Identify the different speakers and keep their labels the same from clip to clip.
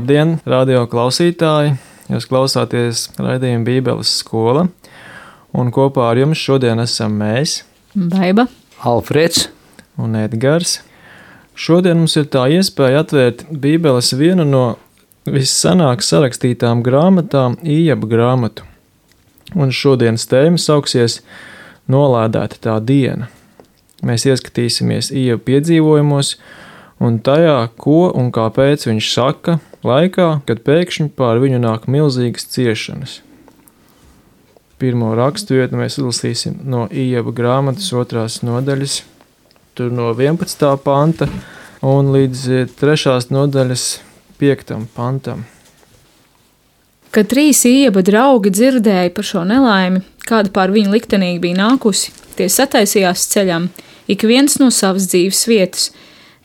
Speaker 1: Labdien, radio klausītāji! Jūs klausāties raidījuma Bībeles skola, un kopā ar jums šodien esam mēs,
Speaker 2: Baiba,
Speaker 3: Alfreds
Speaker 1: un Edgars. Šodien mums ir tā iespēja atvērt Bībeles vienu no vissanāk sarakstītām grāmatām, Ījaba grāmatu. Un šodienas tēma sauksies Nolādēta tā diena. Mēs ieskatīsimies Ījaba piedzīvojumos un tajā, ko un kāpēc viņš saka laikā, kad pēkšņi pār viņu nāk milzīgas ciešanas. Pirmo raksturvietu mēs izlasīsim no Ījaba grāmatas 2. nodaļas, tur no 11. panta un līdz 3. nodaļas 5. pantam.
Speaker 2: Kad 3 Ījaba draugi dzirdēja par šo nelaimi, kāda pār viņu liktenīgi bija nākusi, tie sataisījās ceļam, ik viens no savas dzīves vietas.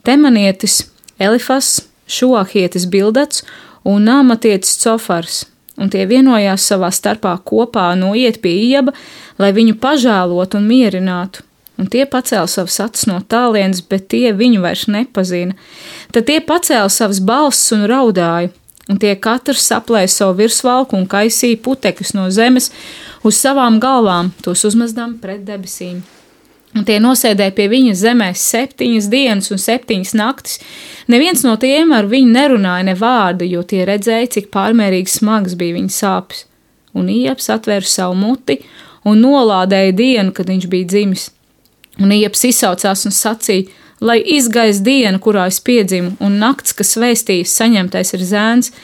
Speaker 2: Temanietis Elifas, Šuahietis Bildats un Nāmatietis Cofars, un tie vienojās savā starpā kopā noiet pie Ījaba, lai viņu pažēlotu un mierinātu. Un tie pacēla savas acis no tālienes, bet tie viņu vairs nepazina. Tad tie pacēla savas balsis un raudāja, un tie katrs saplēja savu virsvalku un kaisīja putekļus no zemes uz savām galvām, tos uzmazdām pret debesīm. Un tie nosēdēja pie viņa zemē 7 dienas un 7 naktis. Neviens no tiem ar viņu nerunāja ne vārdu, jo tie redzēja, cik pārmērīgi smagas bija viņa sāpes. Un Ījabs atvēra savu muti un nolādēja dienu, kad viņš bija dzimis. Un Ījabs izsaucās un sacīja, lai izgaist diena, kurā es piedzimu, un nakts, kas vēstījis saņemtais ir zēns.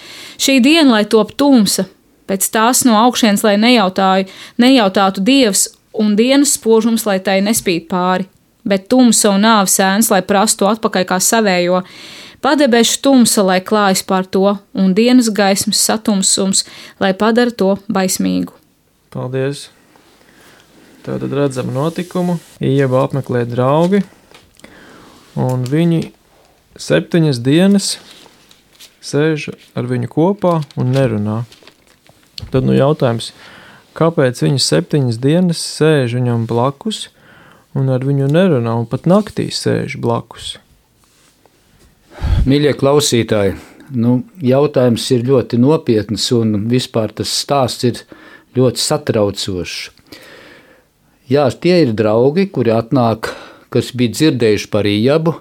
Speaker 2: Šī diena, lai top tumsa, pēc tās no augšienes, lai nejautātu Dievs, un dienas spožums, lai tai nespīd pāri, bet tumsa un nāves ēns, lai prastu atpakaļ kā savējo, padebešu tumsa, lai klājas pār to, un dienas gaismas satumsums, lai padara to baismīgu.
Speaker 1: Paldies! Tātad redzam notikumu. Ījaba apmeklē draugi, un viņi 7 dienas sēž ar viņu kopā un nerunā. Tad jautājums, kāpēc viņi 7 dienas sēž viņam blakus un ar viņu nerunā un pat naktī sēž blakus?
Speaker 3: Mīļie klausītāji, jautājums ir ļoti nopietns un vispār tas stāsts ir ļoti satraucošs. Jā, tie ir draugi, kuri atnāk, kas bija dzirdējuši par Ījabu,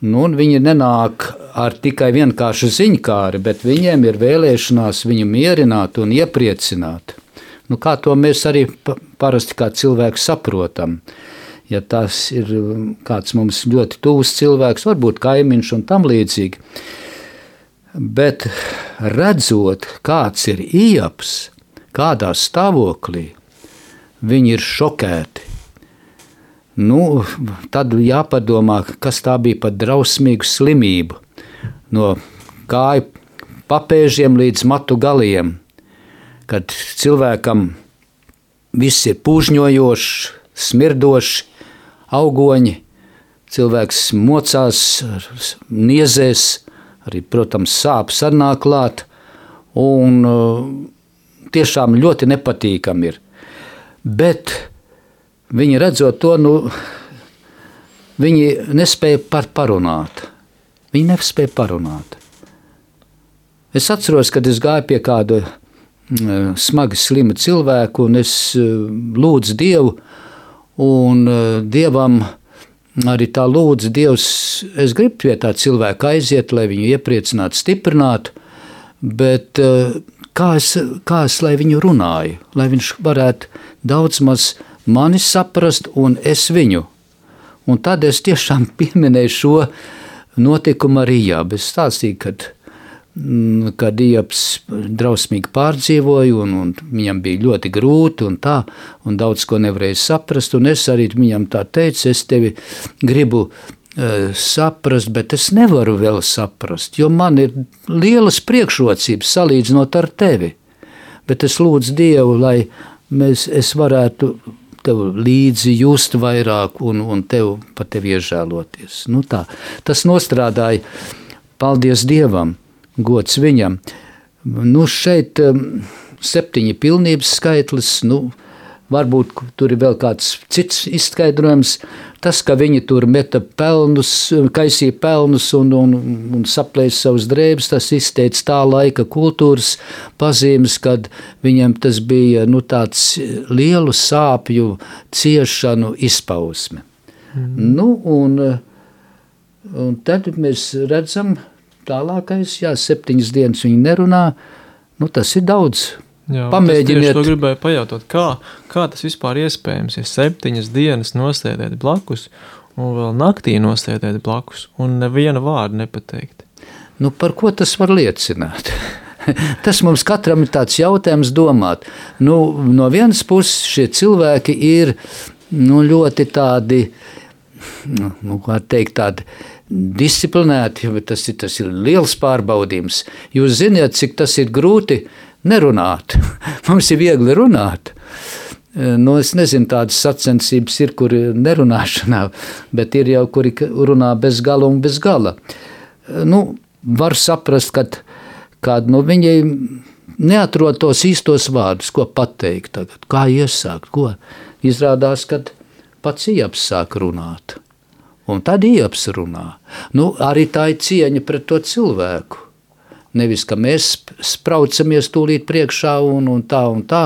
Speaker 3: un viņi nenāk ar tikai vienkāršu ziņkāri, bet viņiem ir vēlēšanās viņu mierināt un iepriecināt. Kā to mēs arī parasti kā cilvēki saprotam. Ja tas ir kāds mums ļoti tuvs cilvēks, varbūt kaimiņš un tam līdzīgi. Bet redzot, kāds ir Ījabs, kādā stāvoklī, viņi ir šokēti. Tad jāpadomā, kas tā bija par drausmīgu slimību. No kāju papēžiem līdz matu galiem. Kad cilvēkam viss ir pūžņojošs, smirdošs, augoņi, cilvēks mocās, niezēs, arī, protams, sāpes arī nāk klāt, un tiešām ļoti nepatīkami ir. Bet viņi redzot to, viņi nespēja parunāt. Viņi nespēja parunāt. Es atceros, kad es gāju pie kāda smagi slima cilvēku, un es lūdzu Dievu, un Dievam arī tā lūdzu Dievs, es gribu pie tā cilvēka aiziet, lai viņu iepriecinātu, stiprinātu, bet kā es lai viņu runāju, lai viņš varētu daudz maz mani saprast un es viņu. Un tad es tiešām pieminēju šo notikumu ar Ījabu. Es stāstīju, kad Ījabs drausmīgi pārdzīvoja, un viņam bija ļoti grūti un tā, un daudz ko nevarēja saprast, un es arī viņam tā teicu, es tevi gribu saprast, bet es nevaru vēl saprast, jo man ir lielas priekšrocības salīdzinot ar tevi. Bet es lūdzu Dievu, lai es varētu tev līdzi just vairāk un par tevi iežēloties. Tas nostrādāja, paldies Dievam, gods viņam. Šeit 7 pilnības skaitlis, varbūt tur ir vēl kāds cits izskaidrojums. Tas, ka viņi tur meta pelnus, kaisīja pelnus un saplēsa savus drēbes, tas izteica tā laika kultūras pazīmes, kad viņiem tas bija tāds lielu sāpju, ciešanu izpausme. Un tad mēs redzam tālākais, 7 dienas viņi nerunā, tas ir daudz.
Speaker 1: Jā,
Speaker 3: pamēģiniet.
Speaker 1: Es to gribēju pajautāt, kā tas vispār iespējams, ja 7 dienas nosēdēt blakus un vēl naktī nosēdēt blakus un neviena vārda nepateikt?
Speaker 3: Par ko tas var liecināt? Tas mums katram ir tāds jautājums domāt. No vienas puses šie cilvēki ir ļoti tādi, kā teikt, tādi disciplinēti, bet tas ir liels pārbaudījums. Jūs ziniet, cik tas ir grūti nerunāt. Mums ir viegli runāt. Es nezinu, tādas sacensības ir, kur nerunāšanā, bet ir jau, kuri runā bez gala un bez gala. Var saprast, kad viņi neatrod tos īstos vārdus, ko pateikt tagad, kā iesākt, ko. Izrādās, kad pats Ijabs sāk runāt. Un tad Ijabs runā. Arī tā ir cieņa pret to cilvēku. Nevis, ka mēs spraucamies tūlīt priekšā un tā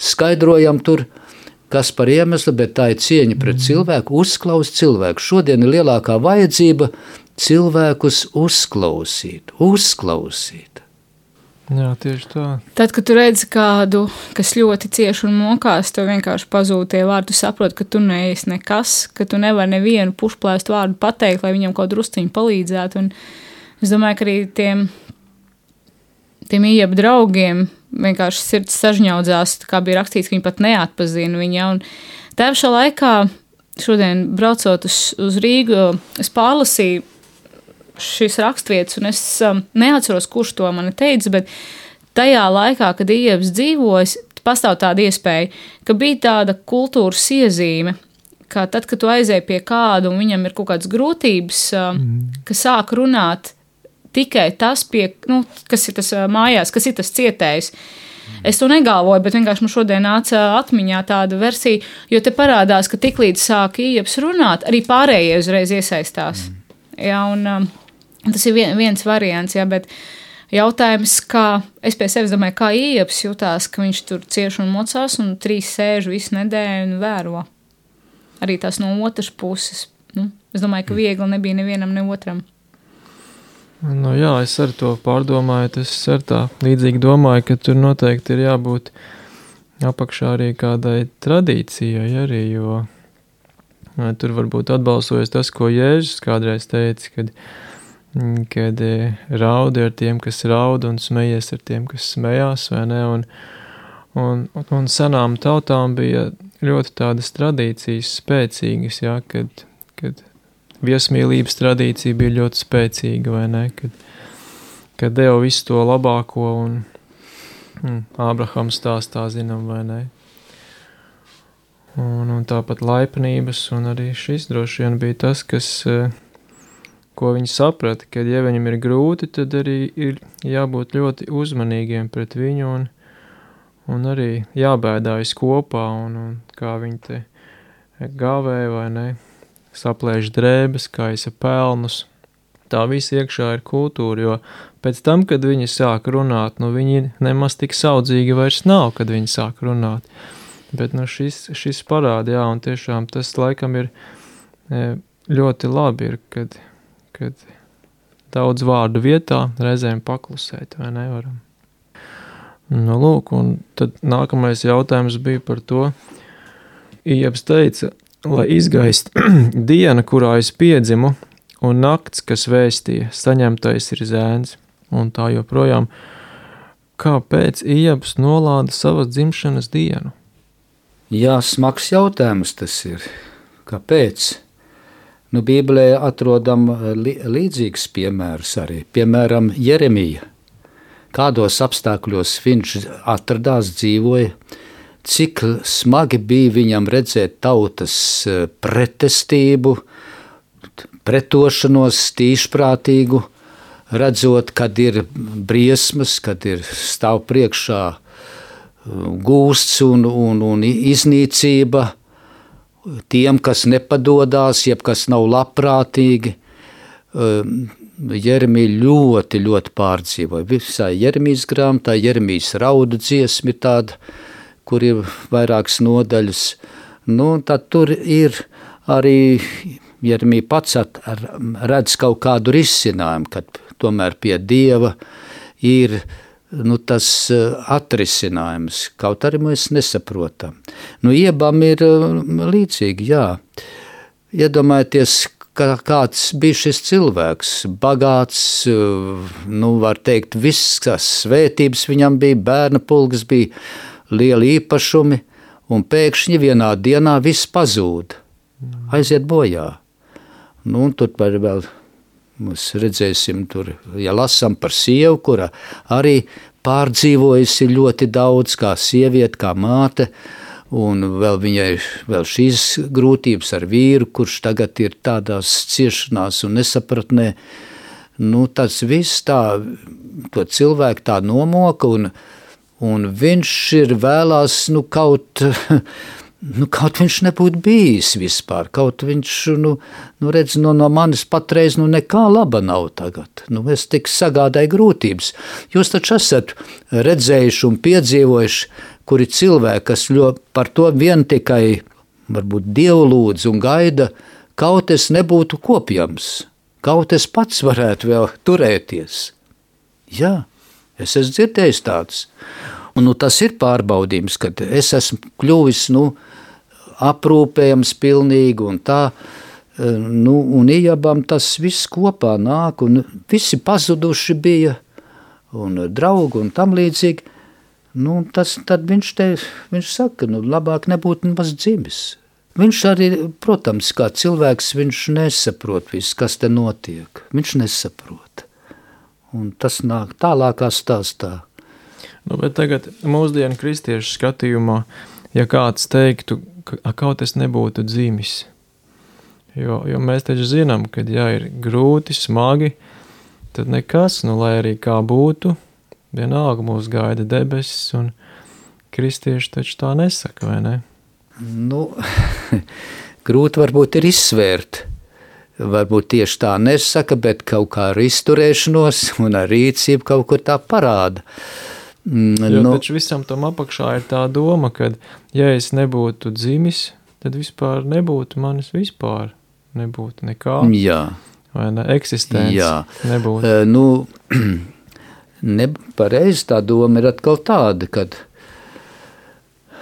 Speaker 3: skaidrojam tur, kas par iemeslu, bet tā ir cieņa pret cilvēku, uzklausīt cilvēku. Šodien ir lielākā vajadzība cilvēkus uzklausīt.
Speaker 1: Jā, tieši tā.
Speaker 2: Tad, kad tu redzi kādu, kas ļoti cieši un mokās, tev vienkārši pazūd tie vārdi, tu saproti, ka tu neesi nekas, ka tu nevari nevienu pušplēstu vārdu pateikt, lai viņam kaut drusciņu palīdzētu. Un es domāju, ka arī tiem Ijaba draugiem vienkārši sirds sažņaudzās, kā bija rakstīts, ka viņi pat neatpazina viņa. Un tā pašā laikā, šodien braucot uz Rīgu, es pārlasīju šīs rakstvietas, un es neatceros, kurš to man teica, bet tajā laikā, kad Ijabs dzīvojas, pastāv tāda iespēja, ka bija tāda kultūras iezīme, ka tad, kad tu aizēji pie kādu un viņam ir kaut kādas grūtības, ka sāk runāt tikai tas, kas ir tas mājās, kas ir tas cietējs. Es to negalvoju, bet vienkārši man šodien nāca atmiņā tāda versija, jo te parādās, ka tiklīdz sāk Ijabs runāt, arī pārējie uzreiz iesaistās. Jā, un tas ir viens variants, jā, bet jautājums, kā es pie sevis domāju, kā Ijabs jutās, ka viņš tur cieši un mocās un 3 sēž visu nedēļu un vēro. Arī tās no otras puses. Es domāju, ka viegli nebija nevienam, ne otram.
Speaker 1: Jā, es ar to pārdomāju, es ar tā līdzīgi domāju, ka tur noteikti ir jābūt apakšā arī kādai tradīcijai arī, jo tur varbūt atbalsojas tas, ko Jēzus kādreiz teica, kad raudi ar tiem, kas raud un smejies ar tiem, kas smējās, vai ne, un senām tautām bija ļoti tādas tradīcijas spēcīgas, jā, kad viesmīlības tradīcija bija ļoti spēcīga, vai ne, kad deva visu to labāko un Ābrahams stāstā zinām, vai ne. Un tāpat laipnības, un arī šis droši vien bija tas, ko viņi saprata, ka ja viņam ir grūti, tad arī ir jābūt ļoti uzmanīgiem pret viņu un arī jābēdājas kopā, un kā viņi te gāvēja, vai ne, saplēš drēbes, kaisa pelnus. Tā visa iekšā ir kultūra, jo pēc tam, kad viņi sāk runāt, viņi nemaz tik saudzīgi vairs nav, kad viņi sāk runāt. Bet šis parāda, jā, un tiešām tas laikam ir ļoti labi, kad daudz vārdu vietā reizēm paklusēt, vai nevaram. Lūk, un tad nākamais jautājums bija par to. Ijabs teica, lai izgaist diena, kurā es piedzimu, un nakts, kas vēstīja, saņemtais ir zēns, un tā joprojām. Kāpēc Ijabs nolāda savas dzimšanas dienu?
Speaker 3: Jā, smags jautājums tas ir. Kāpēc? Bībelē atrodam līdzīgs piemērs arī. Piemēram, Jeremija. Kādos apstākļos viņš atradās, dzīvoja, cik smagi bija viņam redzēt tautas pretestību, pretošanos tīšprātīgu, redzot, kad ir briesmas, kad ir stāv priekšā gūsts un iznīcība tiem, kas nepadodās, jeb kas nav labprātīgi. Jeremija ļoti, ļoti pārdzīvoja. Visā Jeremijas grāmatā, Jeremijas raudu dziesma ir tāda, kur ir vairākas nodaļas. Tad tur ir arī Jeremija pats redz kaut kādu risinājumu, kad tomēr pie Dieva ir tas atrisinājums, kaut arī mēs nesaprotam. Iebam ir līdzīgi, jā. Iedomājieties, kāds bija šis cilvēks, bagāts, var teikt, visas svētības viņam bija, bērna pulks bija, lieli īpašumi, un pēkšņi vienā dienā viss pazūd, aiziet bojā. Tur vēl mēs redzēsim, ja lasām par sievu, kura arī pārdzīvojusi ļoti daudz, kā sieviete, kā māte, un vēl viņai šīs grūtības ar vīru, kurš tagad ir tādās ciešanās un nesapratnē. Tas viss to cilvēku tā nomoka, un viņš ir vēlās, kaut viņš nebūtu bijis vispār, kaut viņš, redz, no manis patreiz, nekā laba nav tagad. Es tik sagādāju grūtības. Jūs taču esat redzējuši un piedzīvojuši, kuri cilvēki, kas par to vien tikai, varbūt, Dievu lūdz un gaida, kaut es nebūtu kopjams, kaut es pats varētu vēl turēties. Jā, es esmu dzirdējis tāds. Un tas ir pārbaudījums, kad es esmu kļuvis, aprūpējams pilnīgi un tā, un Ijabam tas viss kopā nāk, un visi pazuduši bija, un draugi un tam līdzīgi. Tad viņš saka, labāk nebūtu nemaz dzimis. Viņš arī, protams, kā cilvēks, viņš nesaprot visu, kas te notiek. Viņš nesaprot. Un tas nāk tālākā stāstā.
Speaker 1: Bet tagad mūsdienu kristiešu skatījumā, ja kāds teiktu, ka kaut es nebūtu dzimis, jo mēs taču zinām, ka ja ir grūti, smagi, tad nekas, lai arī kā būtu, vienalga mūs gaida debesis, un kristieši taču tā nesaka, vai ne?
Speaker 3: Grūti varbūt ir izsvērt. Varbūt tieši tā nesaka, bet kaut kā ar izturēšanos un ar rīcību kaut kur tā parāda.
Speaker 1: Taču visam tam apakšā ir tā doma, ka ja es nebūtu dzimis, tad vispār nebūtu manis vispār. Nebūtu nekā.
Speaker 3: Jā.
Speaker 1: Vai ne? Eksistence.
Speaker 3: Jā.
Speaker 1: Nebūtu.
Speaker 3: Pareizi tā doma ir atkal tāda, kad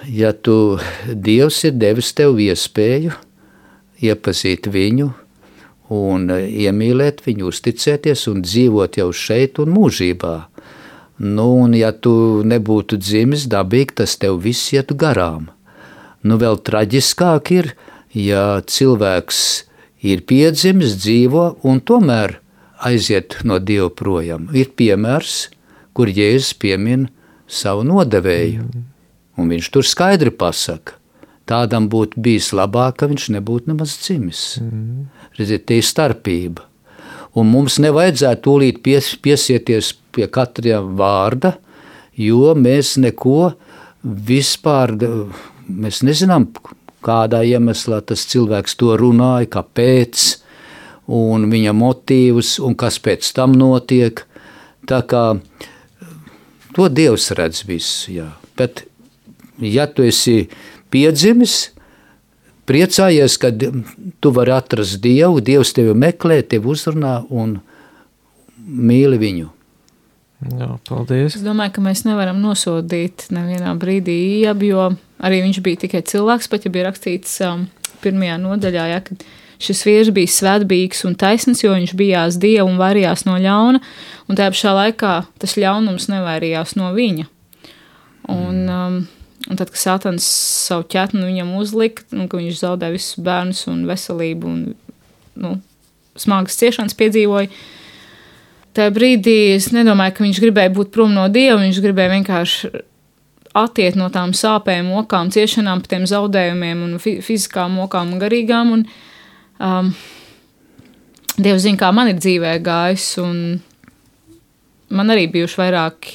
Speaker 3: ja Dievs ir devis tev iespēju iepazīt viņu un iemīlēt viņu, uzticēties un dzīvot jau šeit un mūžībā, un ja tu nebūtu dzimis dabīgi, tas tev viss ietu garām. Vēl traģiskāk ir, ja cilvēks ir piedzimis, dzīvo un tomēr aiziet no Dieva projām. Ir piemērs, kur Jēzus piemin savu nodevēju, un viņš tur skaidri pasaka, tādam būtu bijis labāk, ka viņš nebūtu nemaz dzimis. Redziet, te ir starpība. Un mums nevajadzētu tūlīt piesieties pie katra vārda, jo mēs neko vispār, mēs nezinām, kādā iemeslā tas cilvēks to runāja, kāpēc, un viņa motīvus, un kas pēc tam notiek. Tā kā to Dievs redz visu, jā. Bet, ja tu esi piedzimis, priecājies, kad tu vari atrast Dievu, Dievs tevi meklē, tevi uzrunā un mīli viņu.
Speaker 1: Jā, paldies.
Speaker 2: Es domāju, ka mēs nevaram nosodīt nevienā brīdī Ijabu, jo arī viņš bija tikai cilvēks, pat ja bija rakstīts pirmajā nodaļā, ja, kad šis vīrs bija svētbīgs un taisns, jo viņš bijās Dievu un vairījās no ļauna, un tajā pašā laikā tas ļaunums nevairījās no viņa. Un tad, kad Sātans savu ķetnu viņam uzlika, ka viņš zaudēja visus bērnus un veselību un smagas ciešanas piedzīvoja, tajā brīdī es nedomāju, ka viņš gribēja būt prom no Dieva, viņš gribēja vienkārši attiet no tām sāpēm, mokām, ciešanām, par tiem zaudējumiem un fiziskām mokām un garīgām, un Dievs zina, kā man ir dzīvē gājis, un man arī bijuši vairāki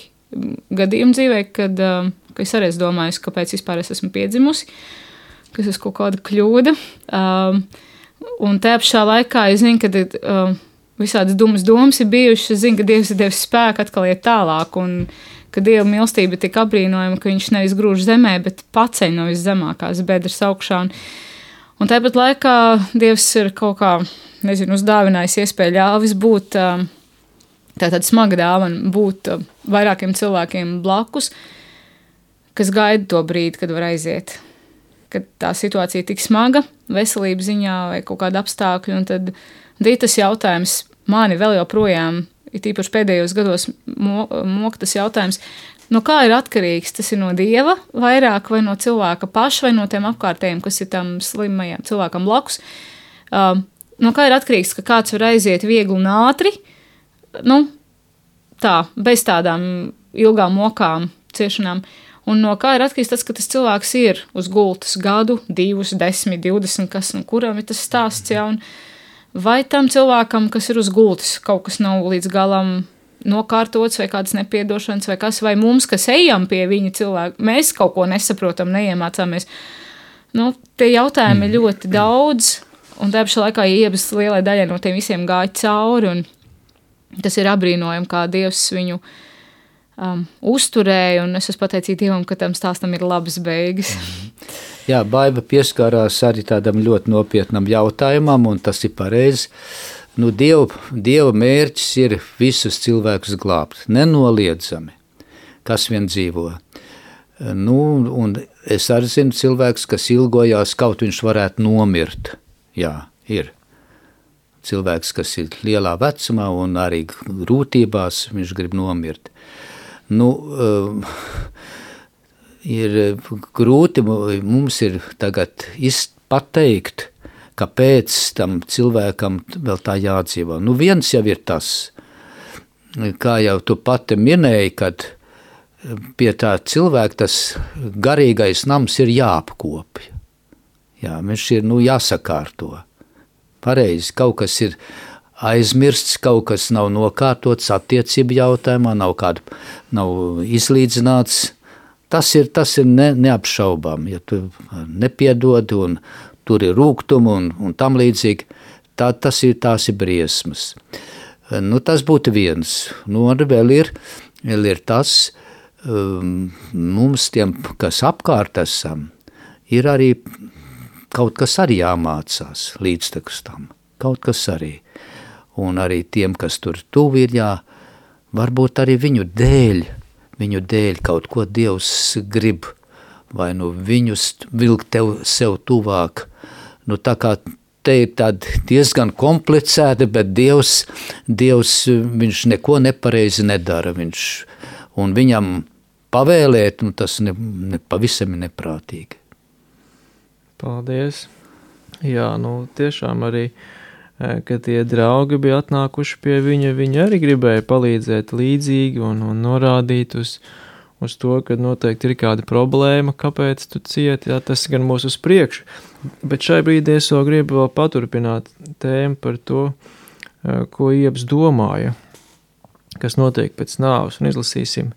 Speaker 2: gadījumi dzīvē, kad ka es arī esmu domājusi, kāpēc vispār es esmu piedzimusi, kas ir kaut kāda kļūda. Un tajā pašā laikā es zinu, ka visādas domas ir bijušas. Es zinu, ka Dievs ir devis spēku atkal iet tālāk, un ka Dieva mīlestība ir tik apbrīnojama, ka viņš nevis grūž zemē, bet paceļ no viszemākās bedres augšā. Un tāpat laikā Dievs ir kaut kā, uzdāvinājis iespēju ļāvis būt, tāda smaga dāvana, būt vairākiem cilvēkiem blakus, kas gaida to brīdi, kad var aiziet. Kad tā situācija ir tik smaga, veselības ziņā vai kaut kāda apstākļa, un tad tas jautājums mani vēl joprojām, ir tīpaši pēdējos gados mok tas jautājums, no kā ir atkarīgs? Tas ir no Dieva vairāk vai no cilvēka paša vai no tiem apkārtējiem, kas ir tam slimajam cilvēkam blakus. No kā ir atkarīgs, ka kāds var aiziet viegli un ātri, bez tādām ilgām mokām, ciešanām. Un no kā ir atkarīgs tas, ka tas cilvēks ir uz gultas gadu, 2, 10, 20, kas, kuram ir tas stāsts, ja, un vai tam cilvēkam, kas ir uz gultas, kaut kas nav līdz galam nokārtots, vai kādas nepiedošanas, vai kas, vai mums, kas ejam pie viņa cilvēka, mēs kaut ko nesaprotam, neiemācāmies. Tie jautājumi ir ļoti daudz, un tā pašā laikā Iebas lielai daļai no tiem visiem gāja cauri, un tas ir apbrīnojami, kā Dievs viņu uzturēja, un es esmu pateicīga Dievam, ka tam stāstam ir labas beigas.
Speaker 3: Jā, Baiba pieskārās arī tādam ļoti nopietnam jautājumam, un tas ir pareizi. Dieva mērķis ir visus cilvēkus glābt, nenoliedzami, kas vien dzīvo. Un es arī zinu cilvēks, kas ilgojās, kaut viņš varētu nomirt. Jā, ir. Cilvēks, kas ir lielā vecumā un arī grūtībās, viņš grib nomirt. Ir grūti mums ir tagad pateikt, kāpēc tam cilvēkam vēl tā jādzīvo. Viens jau ir tas, kā jau tu pati minēji, kad pie tā cilvēka tas garīgais nams ir jāapkopja. Jā, viņš ir jāsakārto. Pareizi, kaut kas ir aizmirsts, kaut kas nav nokārtots attiecību jautājumā, nav izlīdzināts. Tas ir neapšaubām, ja tu nepiedod un tur ir rūgtumi un tam līdzīgi, tās ir briesmas. Tas būtu viens. Un vēl ir tas, mums tiem, kas apkārt esam, ir arī kaut kas arī jāmācās līdztekus tam. Kaut kas arī. Un arī tiem, kas tur tuvi ir, varbūt arī viņu dēļ kaut ko Dievs grib, vai viņus vilkt sev tuvāk. Tā kā te ir tāda diezgan komplicēta, bet Dievs viņš neko nepareizi nedara. Un viņam pavēlēt, tas pavisam ir neprātīgi.
Speaker 1: Paldies. Jā, tiešām arī, kad tie draugi bija atnākuši pie viņa, viņi arī gribēja palīdzēt līdzīgi un norādīt uz to, ka noteikti ir kāda problēma, kāpēc tu cieti, tas gan mūs uz priekšu. Bet šai brīdī es vēl gribu vēl paturpināt tēmu par to, ko Iebs domāja, kas notiek pēc nāves, un izlasīsim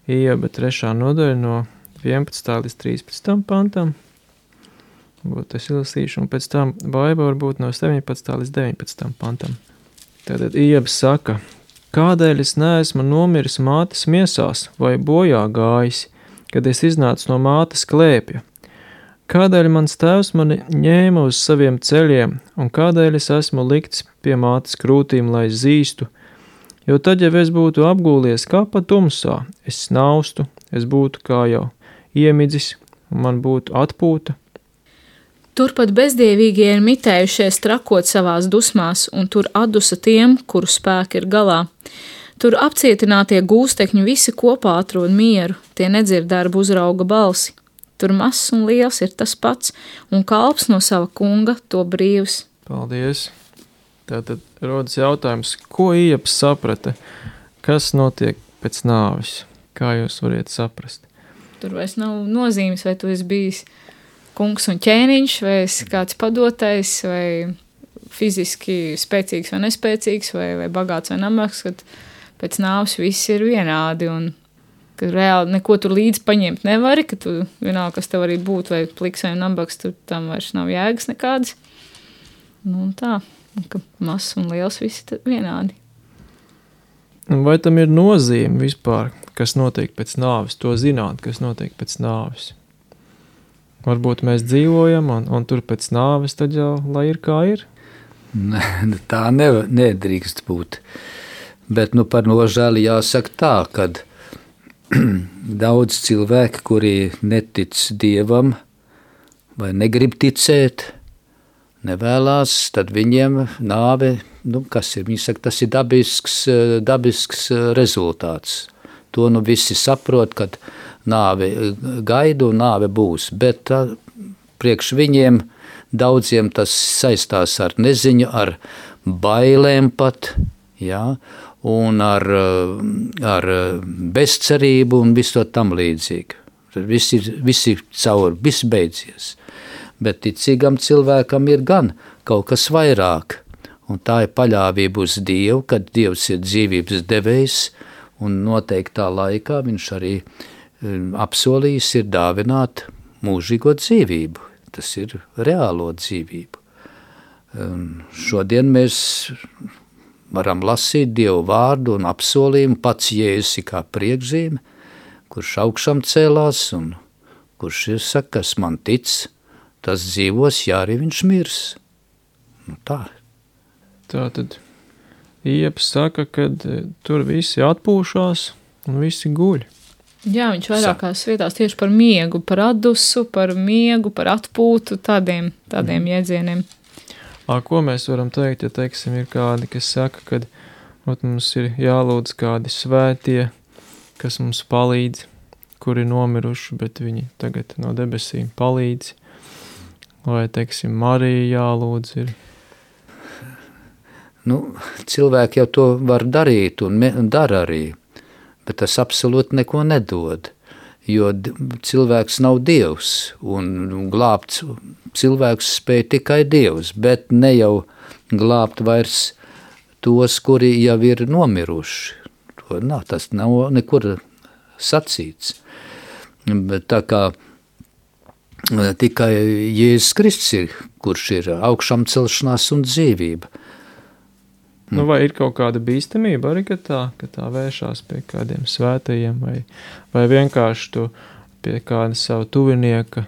Speaker 1: Ieba 3. nodaļa no 11. līdz 13. pantam. Es izlasīšu, un pēc tam Baiba varbūt no 17. līdz 19. pantam. Tātad Iebs saka, kādēļ es neesmu nomiris mātes miesās vai bojā gājis, kad es iznācu no mātes klēpja? Kādēļ mans tēvs mani ņēma uz saviem ceļiem, un kādēļ es esmu likts pie mātes krūtīm, lai zīstu? Jo tad, ja es būtu apgūlies kā pa tumsā, es snaustu, es būtu kā jau iemidzis, un man būtu atpūta.
Speaker 2: Turpat bezdievīgie ir mitējušies trakot savās dusmās, un tur atdusa tiem, kuru spēki ir galā. Tur apcietinātie gūstekņi visi kopā atrod mieru, tie nedzird darbu uzrauga balsi. Tur mazs un liels ir tas pats, un kalps no sava kunga to brīvs.
Speaker 1: Paldies! Tātad rodas jautājums, ko Iebs saprata, kas notiek pēc nāves? Kā jūs variet saprast?
Speaker 2: Tur vairs nav nozīmes, vai tu esi bijis kungs un ķēniņš, vai esi kāds padotais, vai fiziski spēcīgs vai nespēcīgs, vai bagāts vai nabaks, kad pēc nāves viss ir vienādi. Un ka reāli neko tur līdzi paņemt nevari, ka tu vienalga, kas tev arī būtu, vai pliks vai nabaks, tur tam vairs nav jēgas nekādas. Nu, tā, ka mazs un liels visi vienādi.
Speaker 1: Vai tam ir nozīme vispār, kas notiek pēc nāves, to zināt, kas notiek pēc nāves? Varbūt mēs dzīvojam, un tur pēc nāves tad jau, lai ir kā ir?
Speaker 3: Tā nedrīkst būt. Bet par nožēli jāsaka tā, kad daudz cilvēki, kuri netic Dievam vai negrib ticēt, nevēlās, tad viņiem nāve, kas ir? Viņi saka, tas ir dabisks rezultāts. To visi saprot, kad nāve gaida un nāve būs. Bet priekš viņiem daudziem tas saistās ar neziņu, ar bailēm pat, jā, un ar bezcerību un visu to tam līdzīgi. Visi cauri, viss beidzies. Bet ticīgam cilvēkam ir gan kaut kas vairāk, un tā ir paļāvība uz Dievu, kad Dievs ir dzīvības devējs, un noteiktā laikā viņš arī apsolījis ir dāvināt mūžīgo dzīvību. Tas ir reālo dzīvību. Šodien mēs varam lasīt Dievu vārdu un apsolījumu, pats Jēzus kā priekšzīme, kurš augšām cēlās un kurš ir saka, kas man tic, tas dzīvos, ja arī viņš mirs. Tā.
Speaker 1: Tā tad Ieps saka, ka tur visi atpūšās un visi guļ.
Speaker 2: Jā, viņš vairākās vietās tieši par miegu, par atdusu, par miegu, par atpūtu, tādiem jēdzieniem.
Speaker 1: Ko mēs varam teikt, ja, teiksim, ir kādi, kas saka, ka mums ir jālūdz kādi svētie, kas mums palīdz, kuri nomiruši, bet viņi tagad no debesīm palīdz, vai, teiksim, Marija jālūdz ir.
Speaker 3: Cilvēki jau to var darīt un dara arī, bet tas absolūti neko nedod, jo cilvēks nav Dievs, un glābt cilvēks spēj tikai Dievs, bet ne jau glābt vairs tos, kuri jau ir nomiruši. Tas nav nekur sacīts. Bet tā kā tikai Jēzus Kristus ir, kurš ir augšām celšanās un dzīvība.
Speaker 1: Vai ir kaut kāda bīstamība arī, ka tā vēršās pie kādiem svētajiem, vai vienkārši tu pie kāda savu tuvinieka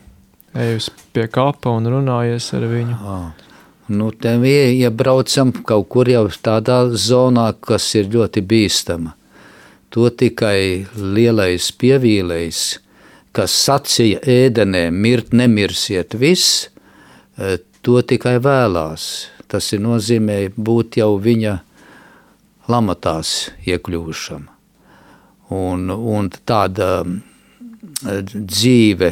Speaker 1: ejus pie kapa un runājies ar viņu?
Speaker 3: Te iebraucam kaut kur jau tādā zonā, kas ir ļoti bīstama. To tikai lielais pievīlējs, kas sacīja ēdenē, mirt nemirsiet viss, to tikai vēlās. Tas ir nozīmē būt jau viņa lamatās iekļūšam. Un tāda dzīve,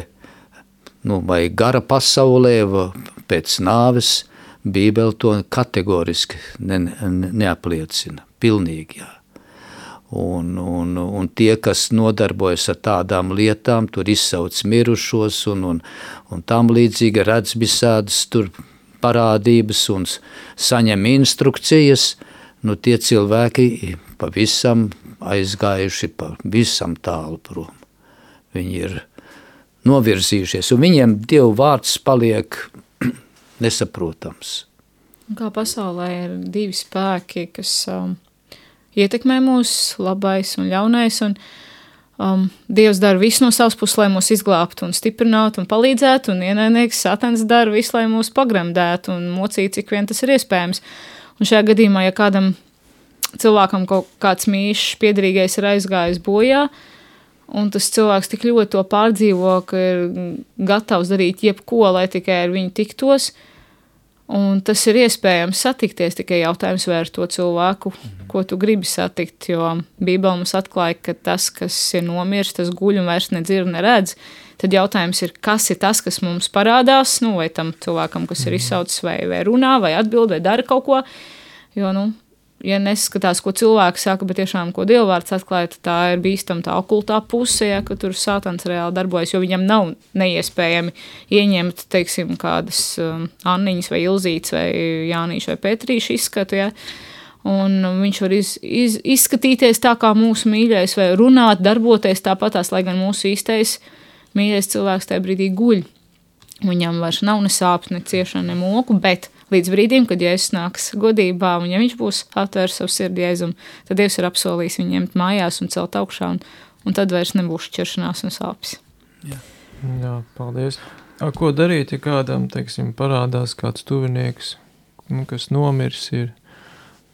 Speaker 3: vai gara pasaulē, pēc nāves, Bībele to kategoriski neapliecina. Pilnīgi, jā. Un tie, kas nodarbojas ar tādām lietām, tur izsauc mirušos un tam līdzīgi redz visādas tur parādības un saņem instrukcijas, tie cilvēki pavisam aizgājuši pavisam tālu prom. Viņi ir novirzījušies, un viņiem Dieva vārds paliek nesaprotams.
Speaker 2: Kā pasaulē ir divi spēki, kas ietekmē mūs, labais un ļaunais, un Dievs dara visu no savas puses, lai mūs izglābtu un stiprinātu un palīdzētu, un ienaidnieks Satans dara visu, lai mūs pagremdētu un mocītu, cik vien tas ir iespējams. Un šajā gadījumā, ja kādam cilvēkam kaut kāds mīšs piederīgais ir aizgājis bojā, un tas cilvēks tik ļoti to pārdzīvo, ka ir gatavs darīt jebko, lai tikai ar viņu tiktos, un tas ir iespējams satikties, tikai jautājums vai ar to cilvēku, ko tu gribi satikt, jo Bībele mums atklāja, ka tas, kas ir nomirs, tas guļ un vairs nedzird, neredz. Tad jautājums ir, kas ir tas, kas mums parādās, vai tam cilvēkam, kas ir izsaucis, vai runā, vai atbild, vai dara kaut ko, jo, ja neskatās, ko cilvēki saka, bet tiešām, ko Dievvārds atklāja, tā ir bīstama tā okultā puse, ka tur Sātans reāli darbojas, jo viņam nav neiespējami ieņemt, teiksim, kādas Anniņas vai Ilzītes vai Jānīša vai Petrīša izskatu, ja? un viņš var izskatīties tā kā mūsu mīļais, vai runāt, darboties tāpatās, lai gan mūsu īstais mīļais cilvēks tajā brīdī guļ. Viņam vairs nav ne sāpes, ne ciešana, ne moku, bet līdz brīdim, kad Jēzus nāks godībā, un ja viņš būs atvērs savu sirdi Jēzum, tad Dievs ir apsolījis viņu ņemt mājās un celt augšā, un tad vairs nebūs šķiršanās un sāpes.
Speaker 1: Jā, paldies. Ko darīt, ja kādam, teiksim, parādās kāds tuvinieks, kas nomirs ir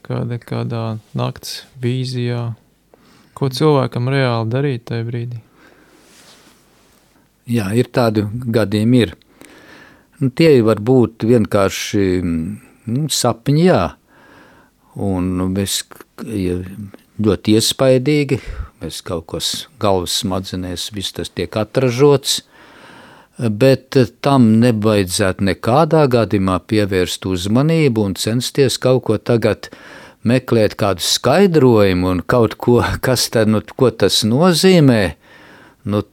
Speaker 1: kādā nakts vīzijā? Ko cilvēkam reāli darīt tajā brīdī?
Speaker 3: Jā, ir tādi gadījumi ir. Tie var būt vienkārši sapņi, jā. Un mēs ļoti iespaidīgi, mēs kaut kas galvas smadzenēs, viss tas tiek atražots, bet tam nevajadzētu nekādā gadījumā pievērst uzmanību un censties kaut ko tagad meklēt kādu skaidrojumu un kaut ko, kas tad, ko tas nozīmē,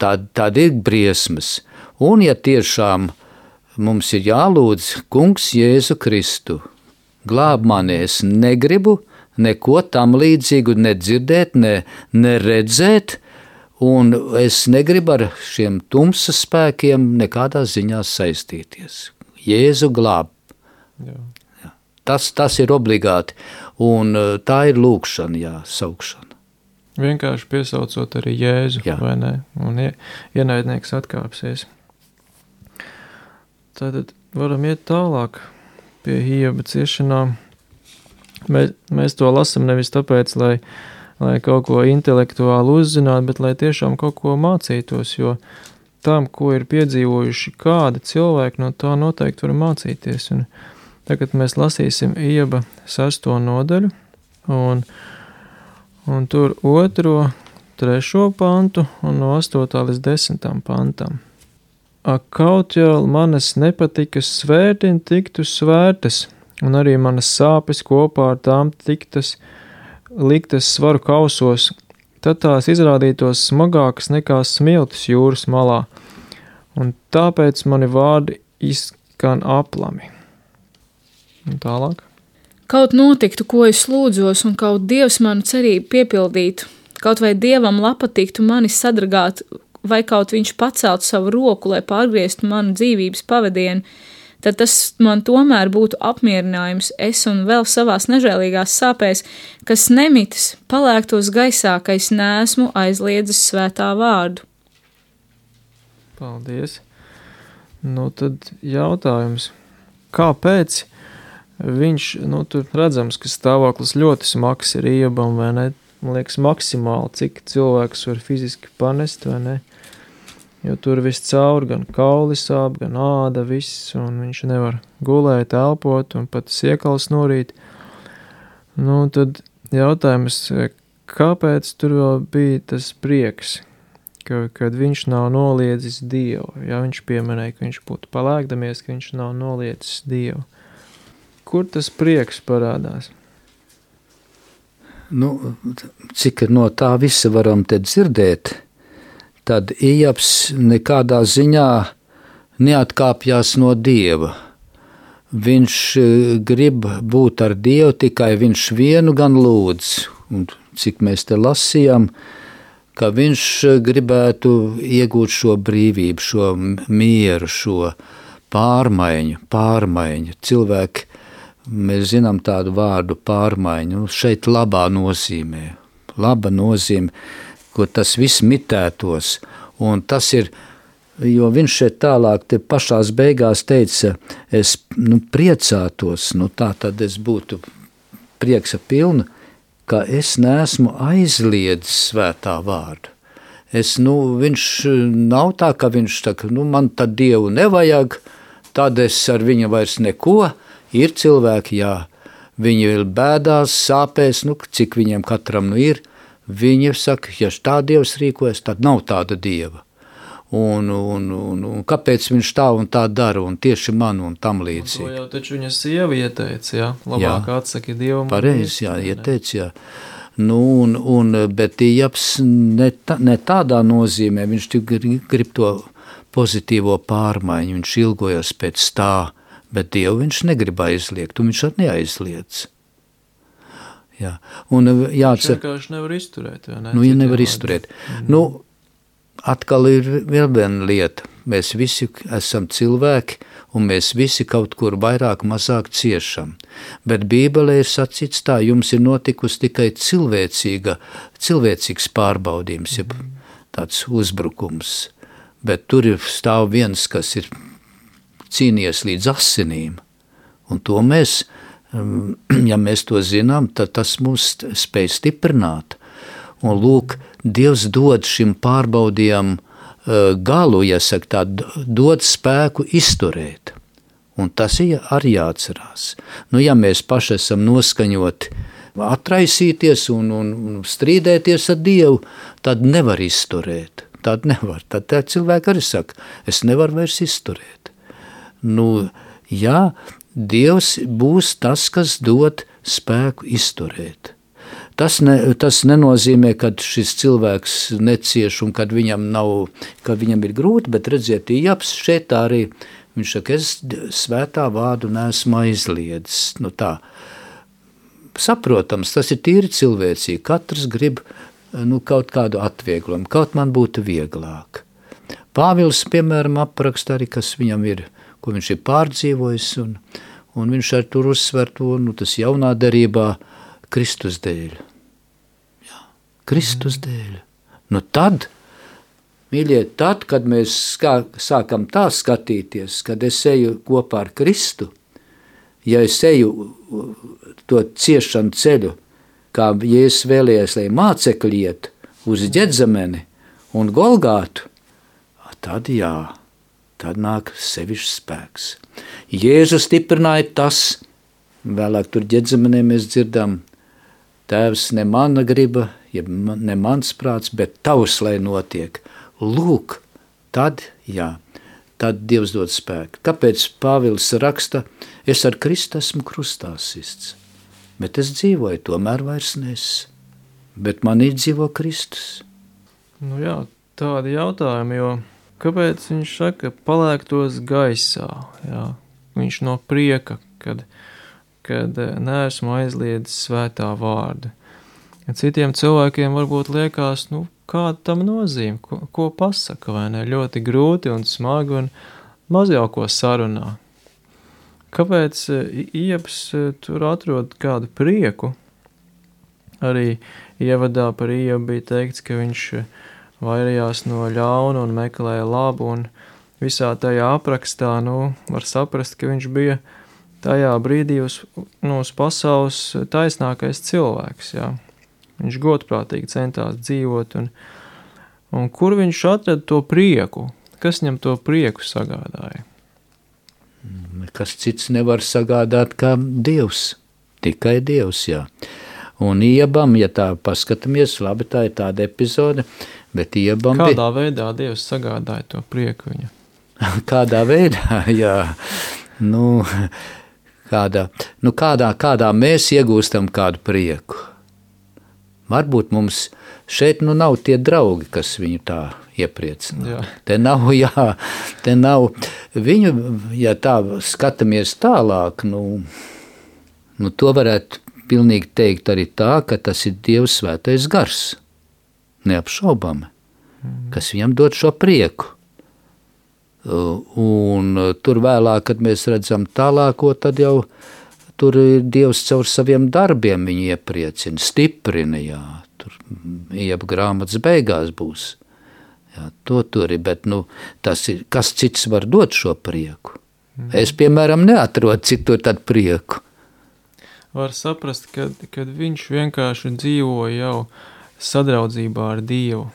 Speaker 3: tad ir briesmas. Un ja tiešām mums ir jālūdz Kungs Jēzu Kristu, glāb mani, es negribu neko tam līdzīgu nedzirdēt, ne redzēt, un es negribu ar šiem tumsas spēkiem nekādā ziņā saistīties. Jēzu glāb. Jā. Tas ir obligāti, un tā ir lūkšana, saukšana.
Speaker 1: Vienkārši piesaucot arī Jēzu, vai ne? Un ienaidnieks atkāpsies. Tātad varam iet tālāk pie Ioba ciešanām. Mēs to lasam nevis tāpēc, lai kaut ko intelektuāli uzzinātu, bet lai tiešām kaut ko mācītos, jo tam, ko ir piedzīvojuši kādi cilvēki, no tā noteikti var mācīties. Un tagad mēs lasīsim Ioba 6. nodaļu, un tur 2., 3. pantu un no 8. līdz 10. pantam. Ak, kaut jau manas nepatikas svērtiņ tiktu svērtas, un arī manas sāpes kopā ar tām liktas svaru kausos, tad tās izrādītos smagākas nekā smiltis jūras malā, un tāpēc mani vārdi izskan aplami. Un tālāk.
Speaker 2: Kaut notiktu, ko es lūdzos, un kaut Dievs manu cerību piepildītu, kaut vai Dievam patiktu mani sadragāt, vai kaut viņš pacelt savu roku, lai pārgrieztu manu dzīvības pavadienu, tad tas man tomēr būtu apmierinājums, es un vēl savās nežēlīgās sāpēs, kas nemitas, palēktos gaisā, ka es neesmu aizliedzis svētā vārdu.
Speaker 1: Paldies. Tad jautājums, kāpēc viņš, tur redzams, ka stāvoklis ļoti smags ir Iobam, vai ne? Man liekas maksimāli, cik cilvēks var fiziski panest, vai ne? Jo tur viss caur, gan kauli sāp, gan āda, viss, un viņš nevar gulēt, elpot, un pat siekals norīt. Tad jautājums, kāpēc tur vēl bija tas prieks, kad viņš nav noliedzis Dievu? Ja viņš pieminēja, ka viņš būtu palēkdamies, ka viņš nav noliedzis Dievu. Kur tas prieks parādās?
Speaker 3: Cik no tā visa varam te dzirdēt, tad Iobs nekādā ziņā neatkāpjas no Dieva. Viņš grib būt ar Dievu, tikai viņš vienu gan lūdz. Un cik mēs te lasījām, ka viņš gribētu iegūt šo brīvību, šo mieru, šo pārmaiņu. Cilvēki, mēs zinām tādu vārdu pārmaiņu, šeit labā nozīmē, ko tas viss mitētos, un tas ir, jo viņš šeit tālāk te pašās beigās teica, es priecātos, tā tad es būtu prieksa pilna, ka es neesmu aizliedzis svētā vārdu. Viņš nav tā, ka viņš saka, man tad Dievu nevajag, tad es ar viņu vairs neko. Ir cilvēki, viņi ir bēdās, sāpēs, cik viņiem katram ir. Viņi saka, ja tā Dievs rīkojas, tad nav tāda Dieva. Un kāpēc viņš tā un tā dara, un tieši man un tam līdzīgi.
Speaker 1: To jau taču viņa sieva ieteica, labāk atsaki Dievam.
Speaker 3: Pareizi, ieteica, bet Iobs ne tādā nozīmē, viņš grib to pozitīvo pārmaiņu, viņš ilgojas pēc tā, bet Dievu viņš negrib aizliegt, un viņš arī neaizliedz. Jā. Un jāatcer...
Speaker 1: Vienkārši nevar izturēt, vai ne?
Speaker 3: Nu, ja nevar izturēt. Nu, atkal ir vēl viena lieta. Mēs visi esam cilvēki, un mēs visi kaut kur vairāk mazāk ciešam. Bet Bībelē ir sacīts tā, jums ir notikusi tikai cilvēcīgs pārbaudījums, ja tāds uzbrukums. Bet tur ir stāv viens, kas ir cīnījies līdz asinīm. Un to mēs, ja mēs to zinām, tad tas mūs spēj stiprināt. Un lūk, Dievs dod šim pārbaudījumam galu, ja saka tā, dod spēku izturēt. Un tas ir arī jāatcerās. Nu, ja mēs paši esam noskaņoti atraisīties un strīdēties ar Dievu, tad nevar izturēt. Tad nevar. Tad cilvēki arī saka, es nevaru vairs izturēt. Nu, jā, Dievs būs tas, kas dod spēku izturēt. Tas nenozīmē, ka šis cilvēks necieš un kad viņam ir grūti, bet redziet, Ijabs šeit arī, viņš saka, es svētā vārdu neesmu aizliedzis. Nu tā, saprotams, tas ir tīri cilvēcīgi, katrs grib kaut kādu atvieglojumu, kaut man būtu vieglāk. Pāvils, piemēram, apraksta arī, kas viņam ir, ko viņš ir pārdzīvojis, un viņš ar tur uzsver to, tas jaunā derībā, Kristus dēļ. Jā, Kristus dēļ. Nu tad, mīļie, tad, kad mēs sākam tā skatīties, kad es eju kopā ar Kristu, ja es eju to ciešanu ceļu, kā Jēzus vēlējies, lai mācekļi iet uz Ģedzemeni un Golgātu, tad jā, tad nāk sevišķs spēks. Jēzus stiprināja tas, vēlāk tur Ģedzemenē mēs dzirdam, Tēvs, ne mana griba, ne mans prāts, bet tavs, lai notiek. Lūk, tad, jā, tad Dievs dod spēku. Kāpēc Pāvils raksta, es ar Kristu esmu krustā sists, bet es dzīvoju, tomēr vairs nes, bet manī dzīvo Kristus.
Speaker 1: Nu jā, tādi jautājumi, jo kāpēc viņš saka, palēktos gaisā, jā, viņš no prieka, kad neesmu aizliedzis svētā vārdu. Ja citiem cilvēkiem varbūt liekas, kāda tam nozīme, ko pasaka, vai ne, ļoti grūti un smagi un maz jau ko sarunā. Kāpēc Ijabs tur atrod kādu prieku? Arī ievadā par Ijabu bija teikts, ka viņš vairījās no ļauna un meklēja labu, un visā tajā aprakstā, var saprast, ka viņš bija tajā brīdī uz pasaules taisnākais cilvēks, jā. Viņš godprātīgi centās dzīvot, un kur viņš atrada to prieku? Kas viņam to prieku sagādāja?
Speaker 3: Kas cits nevar sagādāt kā Dievs, tikai Dievs, jā. Un Ijabam, ja tā paskatāmies, labi, tā ir tāda epizode, bet Ijabam
Speaker 1: Kādā veidā Dievs sagādāja to prieku viņa?
Speaker 3: Kādā veidā, jā, kādā mēs iegūstam kādu prieku. Varbūt mums šeit nav tie draugi, kas viņu tā iepriecina.
Speaker 1: Jā.
Speaker 3: Te nav viņu, ja tā skatāmies tālāk, to varētu pilnīgi teikt arī tā, ka tas ir Dievs svētais gars, neapšaubami, kas viņam dod šo prieku. Un tur vēlāk, kad mēs redzam tālāko, tad jau tur Dievs caur saviem darbiem viņu iepriecina, stiprina, jā, tur Ijaba grāmatas beigās būs. Jā, to tur ir, bet tas ir, kas cits var dot šo prieku? Es, piemēram, neatrodu citur tādu prieku.
Speaker 1: Var saprast, kad viņš vienkārši dzīvo jau sadraudzībā ar Dievu.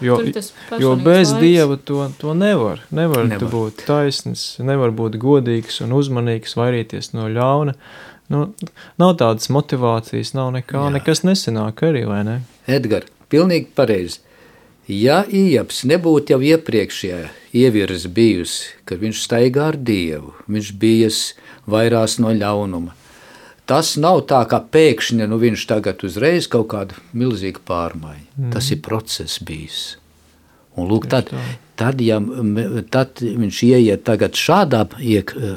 Speaker 1: Jo bez Dieva to nevar tu būt taisns, nevar būt godīgs un uzmanīgs, vairīties no ļauna. Nav tādas motivācijas, nav nekā, nekas nesanāk arī, vai ne?
Speaker 3: Edgar, pilnīgi pareizi. Ja Ijabs nebūtu jau iepriekšējā ievirza bijusi, kad viņš staigā ar Dievu, viņš bijas vairās no ļaunuma. Tas nav tā, kā pēkšņi viņš tagad uzreiz kaut kādu milzīgu pārmaiņu. Tas ir process bijis. Un lūk, tad viņš ieiet tagad šādā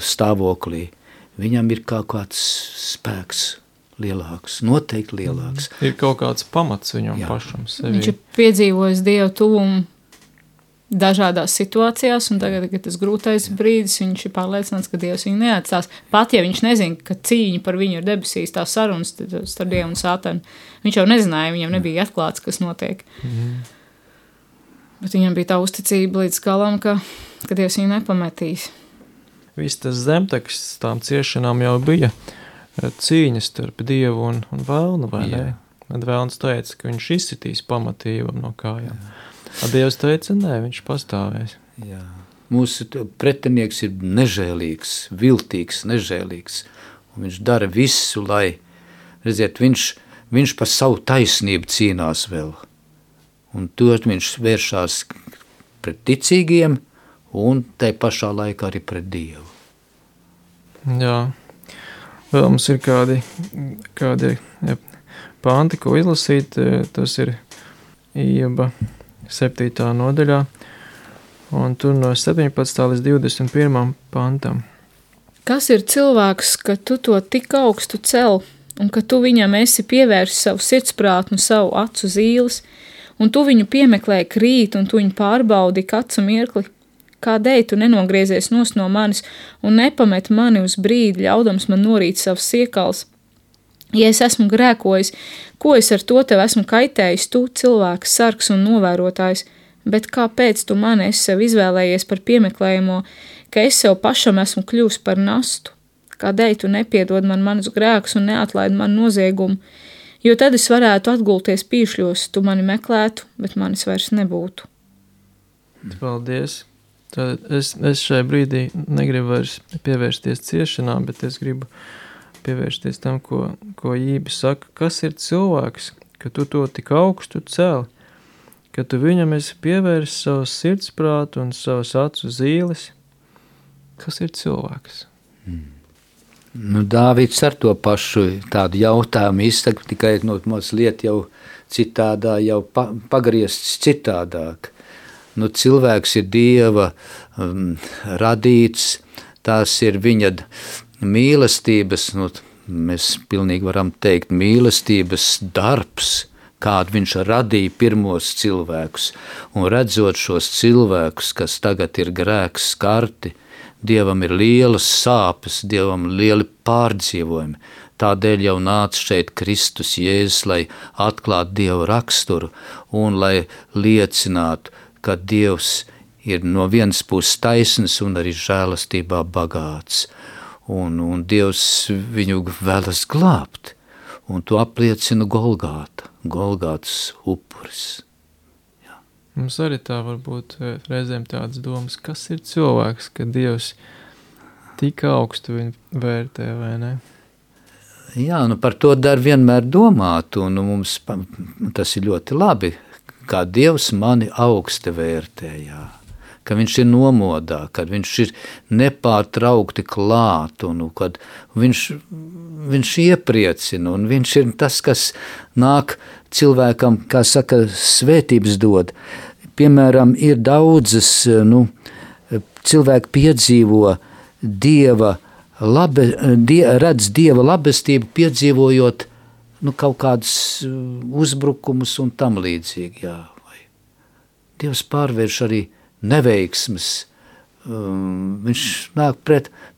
Speaker 3: stāvoklī, viņam ir kaut kāds spēks lielāks, noteikti lielāks.
Speaker 1: Ir kaut kāds pamats viņam pašam sevi.
Speaker 2: Viņš ir piedzīvojis Dievu tuvumu dažādās situācijās, un tagad, kad tas grūtais brīdis, viņš ir pārliecināts, ka Dievs viņu neatstās. Pat ja viņš nezina, ka cīņa par viņu ir debesīs, tā sarunas starp Dievu un Sātanu. Viņš jau nezināja, viņam nebija atklāts, kas notiek. Bet viņam bija tā uzticība līdz galam, ka Dievs viņu nepametīs.
Speaker 1: Viss tas zemteksts tām ciešanām jau bija cīņas starp Dievu un vēlnu, vai ne? Tad vēlns teica, ka viņš izsitīs pamatību no kājām. Dievs teica, nē, viņš pastāvēs.
Speaker 3: Jā. Mūsu pretinieks ir nežēlīgs, viltīgs, nežēlīgs. Un viņš dara visu, lai, redziet, viņš par savu taisnību cīnās vēl. Un to viņš vēršās pret ticīgiem un tai pašā laikā arī pret Dievu.
Speaker 1: Jā. Vēl mums ir kādi panti, ko izlasīt. Tas ir Ijaba 7. nodaļā, un tur no 17. līdz 21. pantam.
Speaker 2: Kas ir cilvēks, ka tu to tik augstu cel, un ka tu viņam esi pievērsis savu sirdsprātnu, savu acu zīles, un tu viņu piemeklēji krīt, un tu viņu pārbaudi kacu mirkli? Kādēļ tu nenogriezies nost no manis un nepamet mani uz brīdi, ļaudams man norīt savus siekals? Ja es esmu grēkojis, ko es ar to tev esmu kaitējis, tu cilvēks, sargs un novērotājs, bet kāpēc tu mani esi sev izvēlējies par piemeklējumu, ka es sev pašam esmu kļūst par nastu? Kādēļ tu nepiedod man manus grēkus un neatlaid man noziegumu? Jo tad es varētu atgulties pīšļos, tu mani meklētu, bet manis vairs nebūtu.
Speaker 1: Paldies! Tad es šai brīdī negribu vairs pievērsties ciešanām, bet es gribu pievērsties tam, ko Ijaba saka. Kas ir cilvēks, ka tu to tik augstu celi, ka tu viņam esi pievērsis savus sirdsprātu un savus acu zīles? Kas ir cilvēks?
Speaker 3: Nu, Dāvids ar to pašu tādu jautājumu izsaka, tikai mazliet jau citādā, jau pagriezts citādāk. Nu, cilvēks ir Dieva radīts, tās ir viņa mīlestības, mēs pilnīgi varam teikt, mīlestības darbs, kādu viņš radīja pirmos cilvēkus. Un redzot šos cilvēkus, kas tagad ir grēks skarti, Dievam ir lielas sāpes, Dievam lieli pārdzīvojumi. Tādēļ jau nāca šeit Kristus Jēzus, lai atklātu Dieva raksturu un lai liecinātu, ka Dievs ir no vienas puses taisns un arī žēlastībā bagāts. Un Dievs viņu vēlas glābt, un to apliecina Golgātas upuris. Jā.
Speaker 1: Mums arī tā var būt reizēm tādas domas, kas ir cilvēks, ka Dievs tik augstu viņu vērtē, vai ne?
Speaker 3: Jā, par to dar vienmēr domāt, un mums tas ir ļoti labi, kā Dievs mani augsti vērtē, jā. Ka viņš ir nomodā, kad viņš ir nepārtraukti klāt, un kad viņš iepriecina, un viņš ir tas, kas nāk cilvēkam, kā saka, svētības dod. Piemēram, ir daudzas, cilvēki piedzīvo redz Dieva labestību, piedzīvojot kaut kādus uzbrukumus un tam līdzīgi, jā. Dievs pārvērš arī neveiksmes, viņš nāk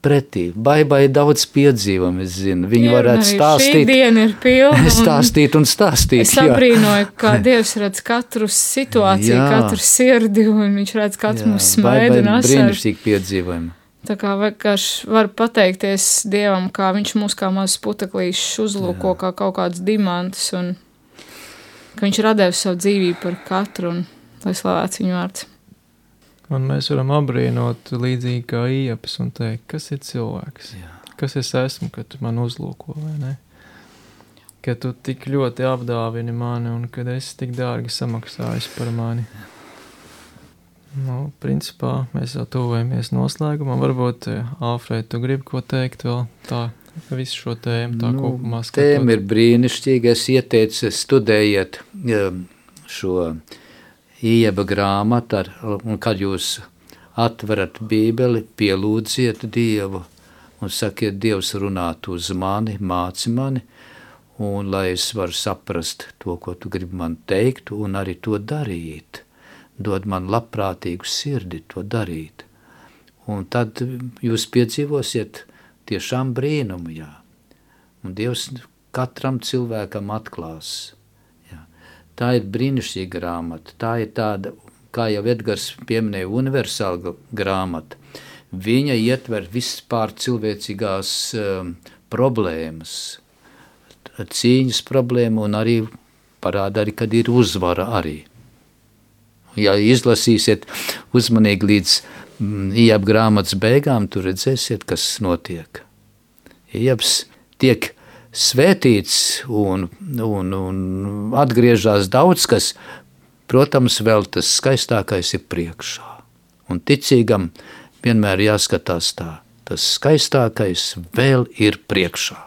Speaker 3: pretī. Baibai daudz piedzīvam, es zinu. Viņi varētu stāstīt.
Speaker 2: Šī diena ir pilna.
Speaker 3: Stāstīt un stāstīt.
Speaker 2: Es abrīnoju, kā Dievs redz katru situāciju, katru sirdi, un viņš redz katru mums smaidu un asaru.
Speaker 3: Brīnišķīgi piedzīvojumi.
Speaker 2: Tā kā vienkārši var pateikties Dievam, kā viņš mūs kā mazs puteklīšus uzlūko, kā kaut kāds dimantus, un ka viņš radēja savu dzīvību par katru, un lai slavēts viņu vārds.
Speaker 1: Un mēs varam abrīnot līdzīgi kā Ijabs un teikt, kas ir cilvēks? Jā. Kas es esmu, ka tu man uzlūko, vai ne? Ka tu tik ļoti apdāvini mani un kad esi tik dārgi samaksājis par mani. Principā mēs jau tuvojamies noslēgumam. Varbūt, Alfred, tu gribi ko teikt vēl tā, visu šo tēmu tā kopumā skatot?
Speaker 3: Tēma ir brīnišķīga. Es ieteicu studējiet šo Ijaba grāmatu, un kad jūs atverat Bībeli, pielūdziet Dievu un sakiet, Dievs runāt uz mani, māci mani, un lai es varu saprast to, ko tu gribi man teikt, un arī to darīt. Dod man labprātīgu sirdi to darīt. Un tad jūs piedzīvosiet tiešām brīnumu, jā. Un Dievs katram cilvēkam atklās. Jā. Tā ir brīnišķīga grāmata. Tā ir tāda, kā jau Edgars pieminēja, universāla grāmata. Viņa ietver vispār cilvēcīgās problēmas, cīņas problēmu un arī parāda arī, kad ir uzvara arī. Ja izlasīsiet uzmanīgi līdz Ijaba grāmatas beigām, tur redzēsiet, kas notiek. Ijabs tiek svētīts un atgriežās daudz, kas, protams, vēl tas skaistākais ir priekšā. Un ticīgam vienmēr jāskatās tā, tas skaistākais vēl ir priekšā.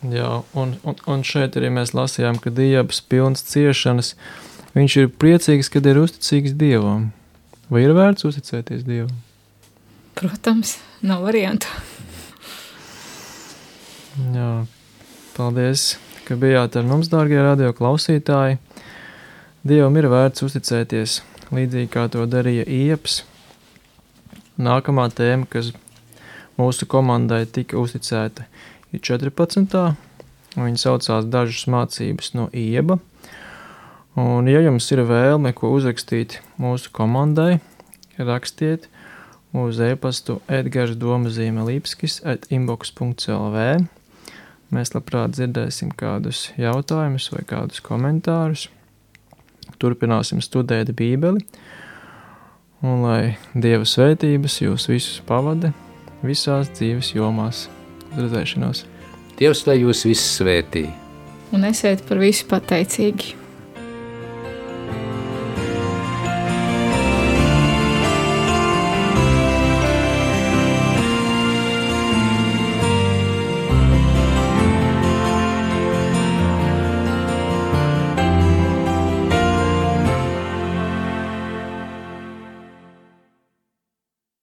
Speaker 1: Jā, un šeit arī mēs lasījām, ka Ijabs pilns ciešanas, viņš ir priecīgs, kad ir uzticīgs Dievam. Vai ir vērts uzticēties Dievam?
Speaker 2: Protams, nav variantu.
Speaker 1: Jā, paldies, ka bijāt ar mums, dārgie radio klausītāji. Dievam ir vērts uzticēties, līdzīgi kā to darīja Ijabs. Nākamā tēma, kas mūsu komandai tika uzticēta, ir 14. Viņa saucās dažas mācības no Ijaba. Un, ja jums ir vēlme, ko uzrakstīt mūsu komandai, rakstiet uz e-pastu edgarsdomazīmelīpskis@inbox.lv. Mēs labprāt dzirdēsim kādus jautājumus vai kādus komentārus. Turpināsim studēt Bībeli. Un lai Dieva svētības jūs visus pavada visās dzīves jomās. Uz redzēšanos.
Speaker 3: Dievs, lai jūs visus svētī.
Speaker 2: Un esiet par visu pateicīgi.